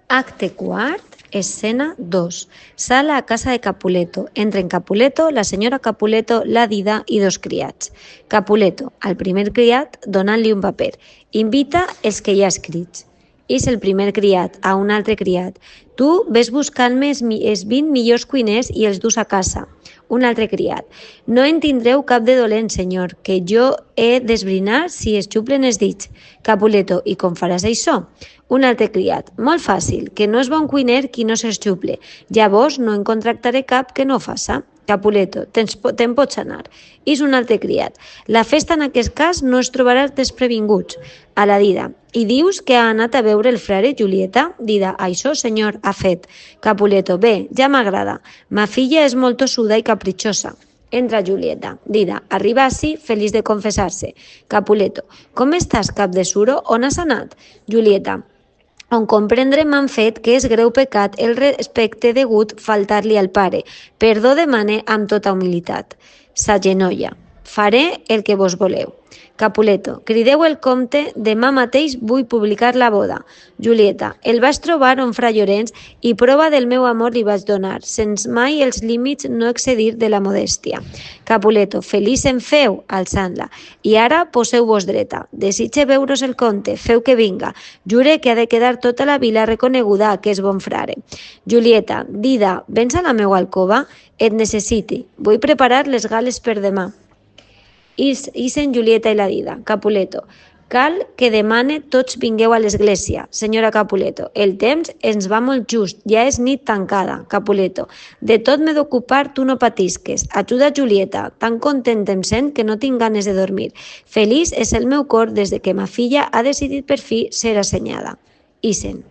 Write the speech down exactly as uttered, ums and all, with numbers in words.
Acte quart, escena dos. Sala a casa de Capuleto. Entren Capuleto, la senyora Capuleto, la Dida i dos criats. Capuleto, al primer criat, donant-li un paper. Invita els que hi ha escrits. És el primer criat a un altre criat. Tu ves buscant-me els vint millors cuiners i els dus a casa. Un altre criat. No en tindreu cap de dolent, senyor, que jo he d'esbrinar si es xuplen els dits. Capuleto, i com faràs això? Un altre criat. Molt fàcil, que no és bon cuiner qui no s'exxuple. Llavors no en contractaré cap que no faça. Capuleto, te'n pots anar. És un altre criat. La festa en aquest cas no es trobarà desprevinguts. A la Dida. I dius que ha anat a veure el frare Julieta? Dida, això, senyor, ha fet. Capuleto, bé, ja m'agrada. Ma filla és molt tossuda i capritxosa. Entra Julieta. Dida, arriba ací, feliç de confessar-se. Capuleto, com estàs, cap de suro? On has anat? Julieta, on comprendre m'han fet que és greu pecat el respecte degut faltar-li al pare. Perdó demane amb tota humilitat. S'agenolla. Faré el que vos voleu. Capuleto, crideu el comte, demà mateix vull publicar la boda. Julieta, el vaig trobar on fra Llorenç i prova del meu amor li vaig donar, sens mai els límits no excedir de la modèstia. Capuleto, feliç en feu, alçant-la. I ara poseu-vos dreta. Desitge veure's el comte, feu que vinga. Jure que ha de quedar tota la vila reconeguda que és bon frare. Julieta, Dida, vens a la meua alcova? Et necessiti. Vull preparar les gales per demà. Ixen Julieta i la Dida. Capuleto, cal que demane tots vingueu a l'església. Senyora Capuleto, el temps ens va molt just, ja és nit tancada. Capuleto, de tot m'he d'ocupar, tu no patisques. Ajuda Julieta, tan content em sent que no tinc ganes de dormir. Feliç és el meu cor des de que ma filla ha decidit per fi ser assenyada. Ixen.